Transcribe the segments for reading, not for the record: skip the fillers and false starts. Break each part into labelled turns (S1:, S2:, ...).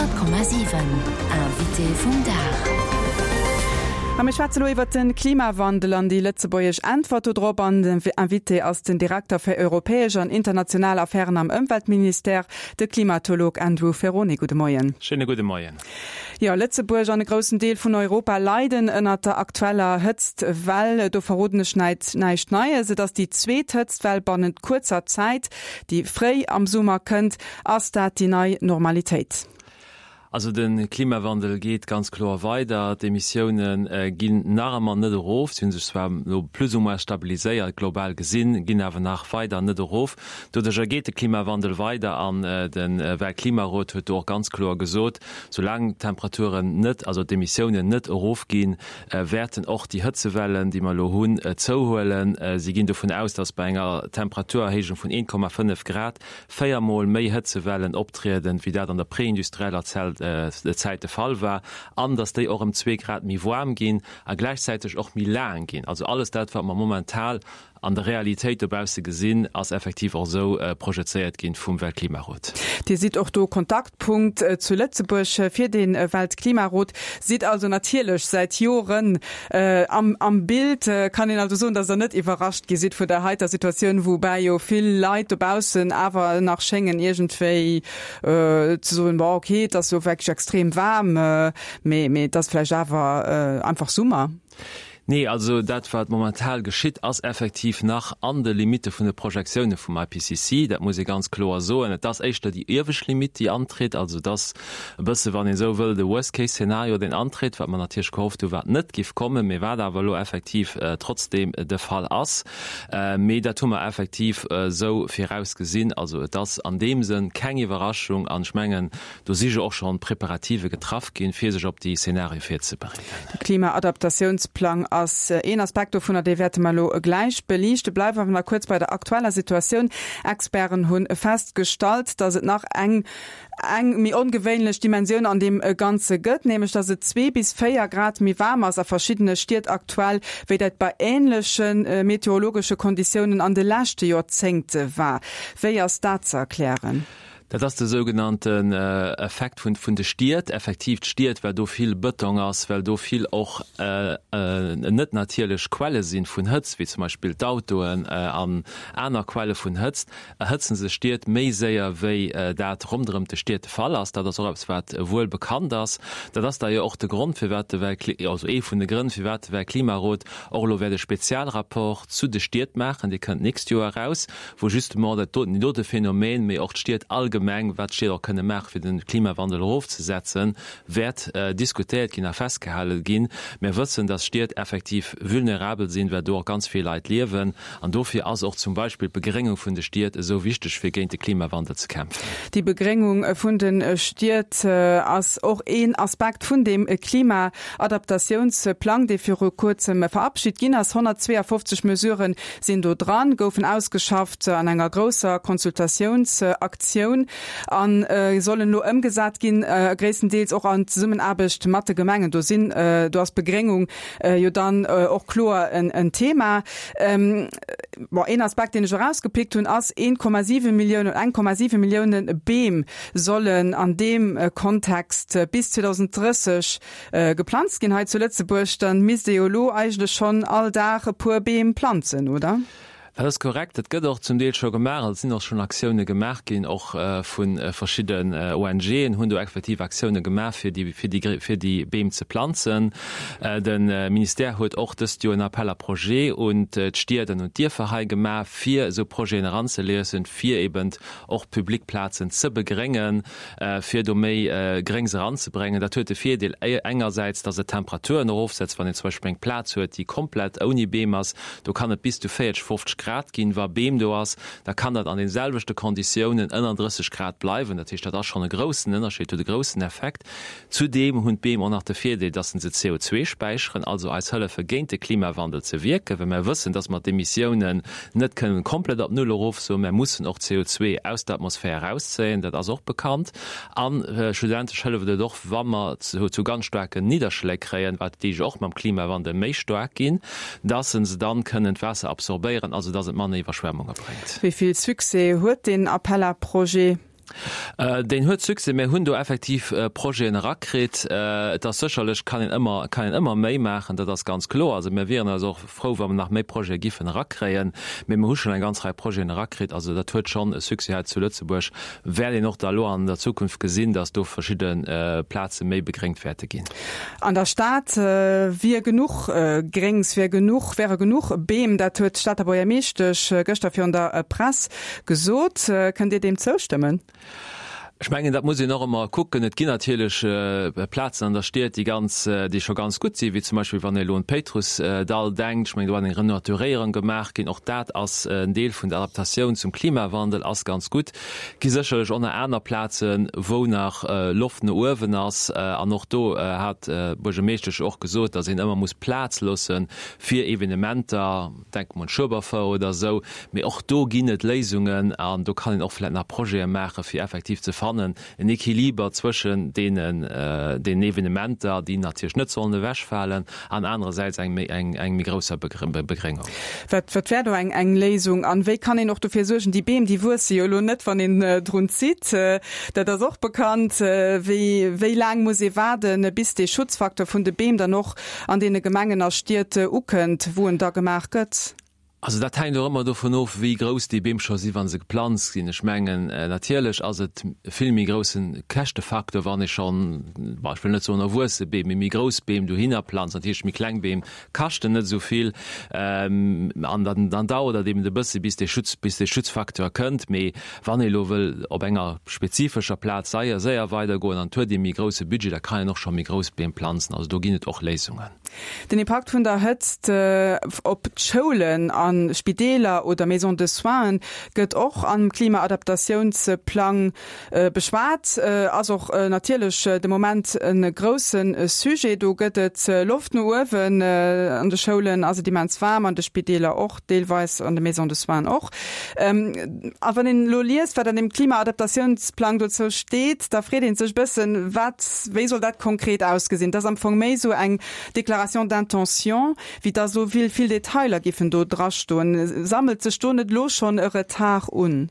S1: 100,7 Invité vum Dag.
S2: A mir schwätze lo iwwert de Klimawandel an déi lëtzebuergesch Äntwert do drop. An den Invité ass den Direkter fir europäesch an international Affären am Ëmweltministère, de Klimatolog Andrew Ferrone. Gudde Moien.
S3: Schéine gudde Moien.
S2: Jo, Lëtzebuerg an e groussen Deel vun Europa leiden ënnert der aktueller Hëtztwell. Do verroden ech näischt Neies. Et ass déi zweet Hëtztwell bannent kuerzer Zäit, déi fréi am Summer kënnt. Ass dat déi nei Normalitéit?
S3: Also de Klimawandel geet ganz kloer weider. D'Emissioune ginn nach ëmmer net erof. Si hu sech zwar elo plus ou moins stabiliséiert, global gesinn, ginn awer nach weider net erof. Doduercher geet de Klimawandel weider an de Weltklimarot huet do och ganz kloer gesot, soulaang d'Temperaturen net, also d'Emissiounen net erofginn, wäerten och déi Hëtzewellen, déi mer elo hunn, zouhuelen. Si ginn dovun aus, datt bei enger Temperaturerhéijung vun 1,5 Grad 4 Mol méi Hëtzewellen optrieden, wéi dat an der preindustrieller Zäit de Fall war, an datt déi och ëm zwee Grad méi waarm ginn a gläichzäiteg och méi laang ginn. Also alles dat, wat mer momental an der Realitéit dobausse gesinn, ass effektiv och esou projezéiert ginn vum Weltklimarot.
S2: Dir sidd och do Kontaktpunkt zu Lëtzebuerg fir de Weltklimarot, sidd also natierlech säit Joren Am Bild. Kann een also soen, datt Der net iwwerrascht gi sidd vun der heiter Situatioun, woubäi jo vill Leit dobaussen awer nach schéngen iergendwéi ze soen, bon okay, et ass elo wierklech extrem waarm, mee mee et ass vläicht awer einfach Summer?
S3: Nee, also dat wat momental geschitt, ass effektiv nach an de Limitte vun de Projektioune vum IPCC. Dat muss ee ganz kloer soen. Et ass éischter déi iewescht Limitt, déi antritt. Also et ass e bësse, wann een esou wëll, de Worst-Case-Szenario, deen antritt, wat mer natierlech gehofft hu wat net giff kommen, mee wat awer elo effektiv trotzdeem de Fall ass. Mee dat hu mer effektiv esou virausgesinn. Also et ass an deem Sënn keng Iwwerraschung an ech mengen, do si jo och schonn Preparative getraff ginn, fir sech op déi Szenarie virzebereeden.
S2: De Klima-Adaptatiounsplang ass een Aspekt dovunner, dee wäerte mer elo gläich beliichten. Bleiwe awer nach kuerz bei der aktueller Situatioun. Experten hu festgestallt, datt et nach eng eng méi ongewéinlech Dimensioun an deem Ganze gëtt, nämlech datt et zwee bis 4 Grad méi waarm ass a verschiddene Stied aktuell, wéi dat bei änleche meteorologesche Konditiounen an de leschte Joerzéngte war. Wéi ass dat ze erklären?
S3: Dat ass de sougenannten Effekt vun de Stied. Effektiv, d'Stied, well do vill Bëtong ass, well do vill och net natierlech Quelle sinn vun Hëtzt, wéi zum Beispill d'Autoen an aner Quelle vun Hëtzt, erhëtzen sech Stied méi séier wéi dat ronderëm de Stied de Fall ass. Dat ass och eppes wat wuel bekannt ass. Dat ass da jo och de Grond firwat de Weltkli-, also ee vun de Grënn firwat de Weltklimarot och elo wäert e Spezialrapport zu de Stied maachen, dee kënnt d'nächst Joer eraus, wou justement dat doten, deen dote Phänomen, mee och d'Stied allgemeng, wat d'Stied och kënne maache fir de Klimawandel erofzesetzen, wäert diskutéiert ginn a festgehale ginn. Mir wëssen, dass Stied effektiv vulnerabel sinn, well do och ganz vill Leit liewen. An dofir ass och zum Beispill d'Begréngung vun de Stied esou wichteg, fir géint de Klimawandel ze kämpfen.
S2: Déi Begréngung vun de Stied ass och een Aspekt vun deem Klimaadaptatiounsplang, dee viru Kuerzem verabschit ginn ass. 152 Mesurë sinn do dran, goufen ausgeschafft an enger grousser Consultatiounsaktioun a sollen elo ëmgesat ginn, gréisstendeels och an Zesummenaarbecht mat de Gemengen. Do sinn, do ass d'Begréngung jo dann och kloer en Thema. Bon, een Aspekt, deen ech erausgepickt hunn, ass 1,7 Milliounen, 1,7 Millioune Beem sollen an deem Kontext bis 2030 geplanzt ginn hei zu Lëtzebuerg. Dann misst ee jo elo eigentlech schonn all Dag e puer Beem planzen, oder?
S3: Dat ass korrekt. Dat gëtt och zum Deel scho gemaach. Also et sinn och schonn Aktioune gemaach ginn, och vu verschidden ONGen hunn do effektiv Aktioune gemaach, fir déi, fir déi, fir déi Beem ze planzen. De Ministère huet och dëst Joer en Appel à projets un d'Stied an un d'Dierfer hei gemaach, fir esou Projeten eranzeliesen, fir eben och public Plazen ze begréngen. fir do méi Gréngs eranzebréngen. Dat huet de Virdeel engersäits, dass et d'Temperaturen erofsetzt, wann een zum Beispill eng Plaz huet, déi komplett ouni Beem ass, do kann et bis zu 40, 50 Grad ginn. Wa Beem do ass, da kann dat an den selwechte Konditiounen ënner 30 Grad bleiwen. Dat heescht, dat ass schonn e groussen Ënnerscheed, huet e groussen Effekt. Zudeem hunn d'Beem och nach de Virdeel, dass se CO2 späicheren, also eis hëllefe géint de Klimawandel ze wierken, well mer wëssen, dass mer d'Emissiounen net kënnen komplett op Null erofsoen, mer mussen och CO2 aus der Atmosphär erauszéien, dat ass och bekannt. A schlussendlech hëlleft et och, wa mer zu ganz staarken Nidderschléi kréien, wat déi jo och mam Klimawandel méi staark ginn, dass se dann kënnen d'Waasser absorbéieren, also dass et manner Iwwerschwemmunge bréngt.
S2: Wéi vill Succès huet deen Appella-Projet?
S3: Deen huet Succès. Mir hunn do effektiv Projeten erakritt. Et ass sécherlech, kann een ëmmer, kann een ëmmer méi maachen, dat ass ganz kloer. Also mir wieren eis och frou, wa mer nach méi Projete giffen erakréien. Mee mir hu schonn eng ganz Rei Projeten erakritt. Also dat huet schonn e Succès hei zu Lëtzebuerg. Wäert een och da elo an der Zukunft gesinn, datt do verschidde Plaze méi begréngt wäerte ginn.
S2: An der Stad wier genuch Gréngs, wier genuch, wäre genuch Beem. Dat huet d'Stater Buergermeeschtesch gëschter virun der Press gesot. Kënnt Dir deem zoustëmmen?
S3: Ech mengen, dat muss een och ëmmer kucken. Et ginn natierlech Plazen an der Stied, déi ganz, déi scho ganz gutt sinn, wéi zum Beispill wann ee elo un d'Péitrussdall denkt. Ech mengen, do ass eng Renaturéierung gemaach ginn. Och dat ass en Deel vun der Adaptatioun zum Klimawandel, ass ganz gutt. Et gi sécherlech och nach aner Plazen, wou nach Loft no uewen ass. An och do hat d'Buergermeeschtesch och gesot, datt een ëmmer muss Plaz loosse fir Evenementer. Denke mer un d'Schueberfouer oder esou. Mee och do ginn et Léisungen an do kann een och vläicht nach Projete maachen, fir effektiv ze fannen en Equiliber zwëschen deenen, deenen Evenementer, déi natierlech net sollen ewechfalen, an anerersäits eng méi, eng, eng méi grousser Begréngung.
S2: Wat, wat wär do eng, eng Léisung? An wéi kann een och dofir suergen, déi Beem, déi wuesse jo elo net, wann een drun zitt, dat ass och bekannt. Wéi, wéi laang muss ee waarden, bis dee Schutzfaktor vun de Beem dann och an deene Gemengen a Stied ukënnt, wou en da gemaach gëtt?
S3: Also dat hänkt och ëmmer dovun of, wéi grouss déi Beem scho sinn, wa se geplanzt ginn. Ech mengen, natierlech ass et e vill méi grousse Käschtefaktor, wann ee schonn, bon, ech wëll net soen erwuesse Beem, mee méi grouss Beem dohinner planzt. Natierlech méi kleng Beem kaschten net esou vill. An dann, dann dauert et eben e bësse bis dee Schutz, bis dee Schutzfaktor kënnt. Mee wann ee elo wëll op enger spezifescher Plaz seier, séier weidergoen an et huet ee méi grousse Budget, da kann een och scho méi grouss Beem planzen. Also do ginn et och Léisungen.
S2: Den Impakt vun der Hëtzt op d'Schoulen a Spideeler oder Maisons de soins gëtt och am Klimaadaptatiounsplang beschwat. Ass och natierlech de Moment e grousse Sujet. Do gëtt et Loft no uewen. An de Schoulen ass et immens waarm, an de Spideeler och deelweis, an de Maisons de soins och. A wann een elo liest, wat an deem Klimaadaptatiounsplang dozou steet, da freet ee sech e bëssen, wat, wéi soll dat konkret ausgesinn? Et ass am Fong méi esou eng Déclaration d'intention, wéi dass elo vill, vill Detailer giffen do drastoen. Sammelt sech do net elo schonn e Retard un?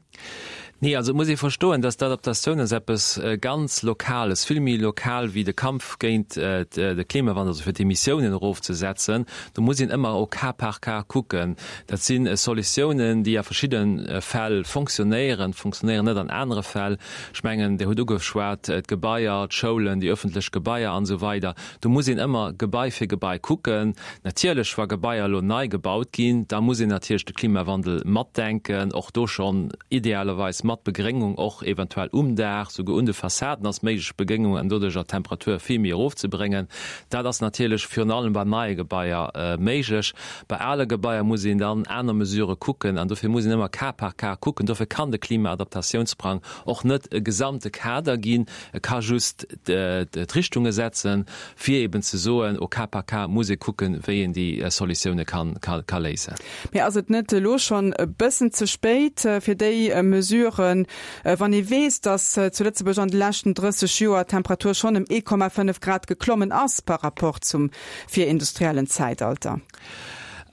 S3: Nee, also et muss ee verstoen, dass d'Adaptatioun ass eppes ganz Lokales, vill méi lokal wéi de Kampf géint de Klimawandel, also fir d'Emissiounen erofzesetzen. Do muss een ëmmer au cas par cas kucken. Dat si Solutiounen, déi a verschidde Fäll fonctionnéieren, fonctionnéieren net an anere Fäll. Ech mengen, Dir hutt ugeschwat, d'Gebaier, d'Schoulen, déi öffentlech Gebaier an esou weider. Do muss een ëmmer Gebai fir Gebai kucken. Natierlech, wa Gebaier elo nei gebaut ginn, da muss een natierlech de Klimawandel matdenken, och do schonn idealerweis mat Begréngung, och eventuell um Daach, souguer un de Fassaden ass méiglech Begréngung an doduercher d'Temperatur vill méi erofzebréngen. Dat ass natierlech virun allem bei neie Gebaier méiglech. Bei ale Gebaier muss een dann aner Mesurë kucken an dofir muss een ëmmer cas par cas kucken. Dofir kann de Klimaadaptatiounsplang och net e gesamte Kader ginn, E ka just d'Richtunge setzen, fir eben ze soen, au cas par cas muss ee kucken, wéi een déi Solutioune ka léisen.
S2: Mee ass et net elo schonn e bëssen ze spéit fir déi Mesuren, wann ee weess, datt zu Lëtzebuerg an de leschten 30 Joer d'Temperatur schonn ëm 1,5 Grad geklommen ass par rapport zum virindustriellen Zäitalter?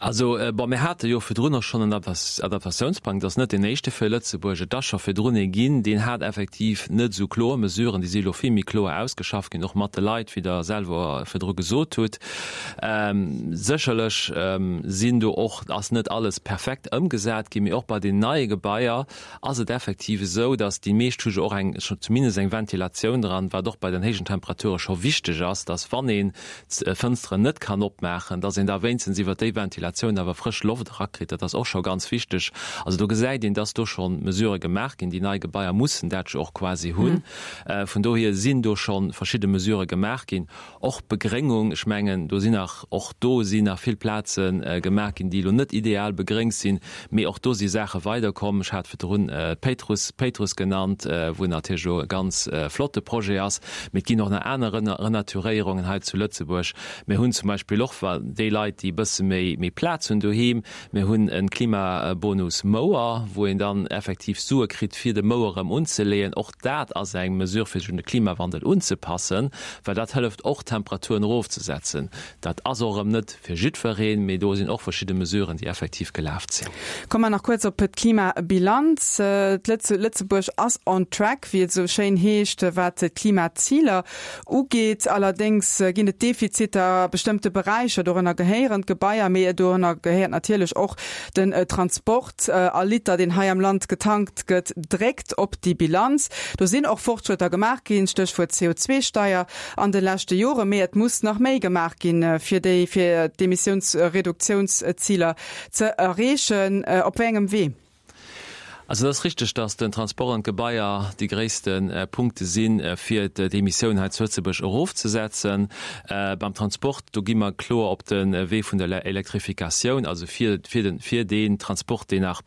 S3: Also, bon, mir hate jo virdrun och schonn en Adaptatiounsplang. Dat ass net deen éischte fir Lëtzebuerg. Et ass scho virdrun ee ginn, deen hat effektiv net esou kloer Mesuren. Déi si elo vill méi kloer ausgeschafft ginn, och mat de Leit, wéi Der selwer virdru gesot hutt. Sécherlech sinn do och, ass net alles perfekt ëmgesat ginn, mee och bei den neie Gebaier ass et effektiv esou, datt déi meescht hu jo och eng, zumindest eng Ventilatioun dran, wat och bei den héijen Temperature scho wichteg ass, datt wann een d'Fënsteren net kann opmaachen, dass een da wéinstens iwwert déi Ventilatioun awer frësch Loft erakritt. Dat ass och scho ganz wichteg. Also do gesäit een, dass do scho Mesurë gemaach ginn. Déi nei Gebaier mussen dat jo och quasi hunn. Vun dohier sinn do scho verschidde Mesurë gemaach ginn. Och Begréngung, ech mengen, do sinn nach, och do sinn nach vill Plaze gemaach ginn, déi elo net ideal begréngt sinn, mee och do si Saache weiderkomm. Ech hat virdrun d'Péitruss, Péitruss genannt, wou natierlech elo e ganz flotte Projet ass. Mee et ginn och nach aner Renaturéierungen hei zu Lëtzebuerg. Mir hunn zum Beispill och, wa déi Leit, déi e bësse méi, méi. Plaz hunn doheem. Mir hunn e Klimabonus Mouer, wou een dann effektiv Sue kritt, fir de Mouer erëm unzeleeën. Och dat ass eng Mesure, fir sech un de Klimawandel unzepassen, well dat hëlleft och, d'Temperaturen erofzesetzen. Dat ass och erëm net fir jiddwereen, mee do sinn och verschidde Mesuren, déi effektiv gelaf sinn.
S2: Komme mer nach kuerz op d'Klimabilanz. Lëtzebuerg ass on track, wéi et esou schéin heescht, wat d'Klimaziler ugeet. Allerdéngs ginn et Defiziter a bestëmmte Beräicher, dorënner gehéieren d'Gebaier, mee dorënner gehéiert natierlech och den Transport. All Liter, deen hei am Land getankt gëtt, dréckt op déi Bilanz. Do sinn och Fortschrëtter gemaach ginn, Stéchwuert CO2-Steier an de leschte Joren, mee et muss nach méi gemaach ginn, fir déi fir d'Emissiounsreduktiounsziler ze erreechen. Op wéi engem Wee?
S3: Also et ass richteg, datt den Transport an d'Gebaier déi gréisste Punkte sinn, fir d'Emissioun hei zu Lëtzebuerg erofzesetzen. Beim Transport, do gi mer kloer op de Wee vun der Elektrifikatioun, also fir, fir den, fir deen Transport, deen nach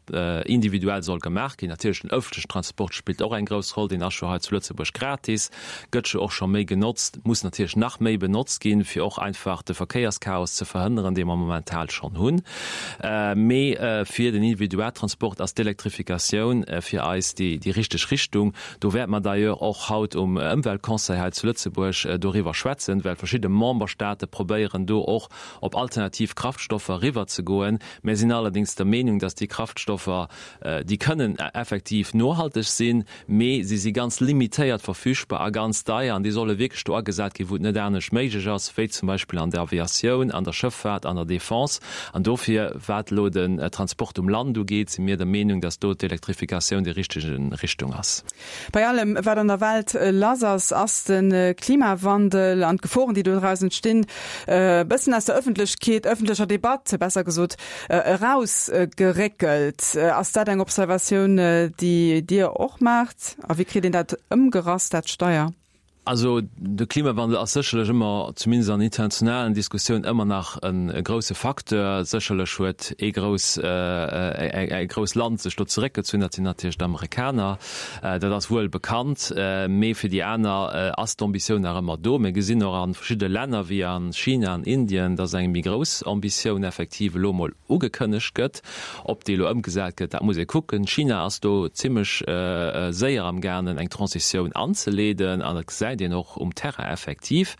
S3: individuell soll gemaach ginn. Natierlech den ëffentlechen Transport spillt och eng grouss Roll, deen ass jo hei zu Lëtzebuerg gratis. Gëtt jo och scho méi genotzt, muss natierlech nach méi benotzt ginn, fir och einfach de Verkéierschaos ze verhënneren, dee mer momental schonn hunn. Mee fir den Individualtransport ass d'Elektrifikatioun fir eis déi richteg Richtung. Do wäerte mer d'ailleurs och haut um Ëmweltconseil hei zu Lëtzebuerg doriwwer schwätzen, well verschidde Memberstaate probéieren do och op alternativ Kraftstoffer eriwwerzegoen. Mir sinn allerdéngs der Meenung, dass déi Kraftstoffer, déi kënnen effektiv nohalteg sinn, mee si si ganz limitéiert verfügbar a ganz deier an déi solle wierklech do agesat ginn, wou et net anescht méiglech ass, wéi zum Beispill an der Aviatioun, an der Schëffaart, an der Defense. An dofir, wat elo den Transport um Land ugeet, si mir der Meenung, dass do d'Elektrifikatioun déi richteg Richtung ass.
S2: Bei allem, wat an der Welt lass ass, ass de Klimawandel an d'Geforen, déi doraus entstinn, e bëssen aus der Ëffentlechkeet, ëffentlecher Debatt besser gesot, Erausgeréckelt. Ass dat eng Observatioun, déi Dir och maacht? A wéi kritt een dat ëmgerass, dat Steier?
S3: Also de Klimawandel ass sécherlech ëmmer, zumindest an internationalen Diskussioun, ëmmer nach e grousse Facteur. Sécherlech huet ee grouss, e grouss Land sech do zeréckgezunn, dat sinn natierlech d'Amerikaner. Dat ass wuel bekannt. Mee fir déi aner ass d'Ambitioun nach ëmmer do. Mir gesinn och a verschidde Länner wéi a China an Indien, dass eng méi grouss Ambitioun effektiv elo emol ugekënnegt gëtt. Ob déi elo ëmgesat gëtt, dat muss ee kucken. China ass do zimmlech séier amgaangen, eng Transitioun anzeleeden an dat gesäit een och um Terrain effektiv.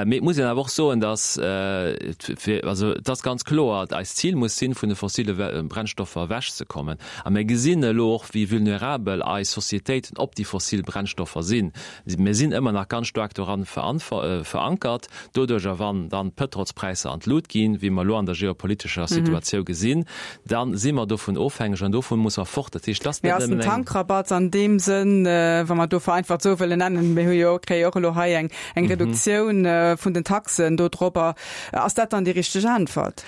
S3: Mee et muss een awer och soen, dass, also et ass ganz kloer, eist Zil muss sinn, vun de fossile Brennstoffer ewechzekommen. A mir gesinn elo och, wéi vulnerabel eis Societéiten op déi fossil Brennstoffer sinn. Mir sinn ëmmer nach ganz staark doran verankert. Doduercher, wann dann d'Pëtrolspräisser an d'Lut ginn, wéi mer elo an der geopolitescher Situatiou gesinn, da si mer dovun ofhängeg an dovun muss mer fort.
S2: Dat heescht, et ass net nëmmen eng. Mee ass den Tankrabatt an deem Sënn, wa mer do vereinfacht esou wëllen nennen, mir hu jo, kréie jo och elo hei eng Reduktioun vun den Taxen dodropper, ass dat dann déi richteg Äntwert?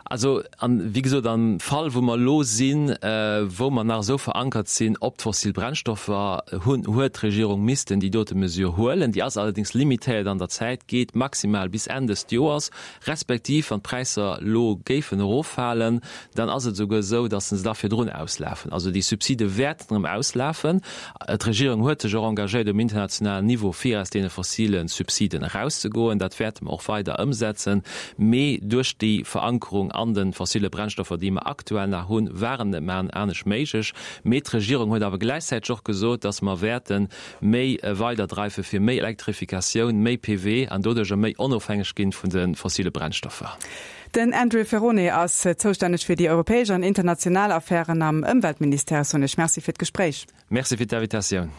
S3: Also, an, wéi gesot, am Fall, wou mer elo sinn, wou mer nach esou verankert sinn op d'fossil Brennstoffer, hunn, huet d'Regierung missten déi dote Mesure huelen. Déi ass allerdéngs limitéiert an der Zäit, geet maximal bis Enn dëst Joers, respektiv wann d'Präisser elo géifen eroffalen, dann ass et esouguer esou, datt se da virdrun auslafen. Also déi Subside wäerten erëm auslafen. D'Regierung huet sech och engagéiert um internationalen Niveau, fir aus deene fossile Subsiden erauszegoen. Dat wäerte mer och weider ëmsetzen. Mee duerch déi Verankerung an de fossile Brennstoffer, déi mer aktuell nach hunn, war et net méi anescht méiglech. Mee d'Regierung huet awer gläichzäiteg och gesot, dass mer wäerte méi weiderdreife fir méi Elektrifikatioun, méi PV an doduercher méi onofhängeg ginn vun de fossile Brennstoffer.
S2: Den Andrew Ferrone ass zoustänneg fir déi europäesch an international Affären am Ëmweltministère. Soen ech Merci fir d'Gespréich.
S3: Merci fir d'Invitatioun.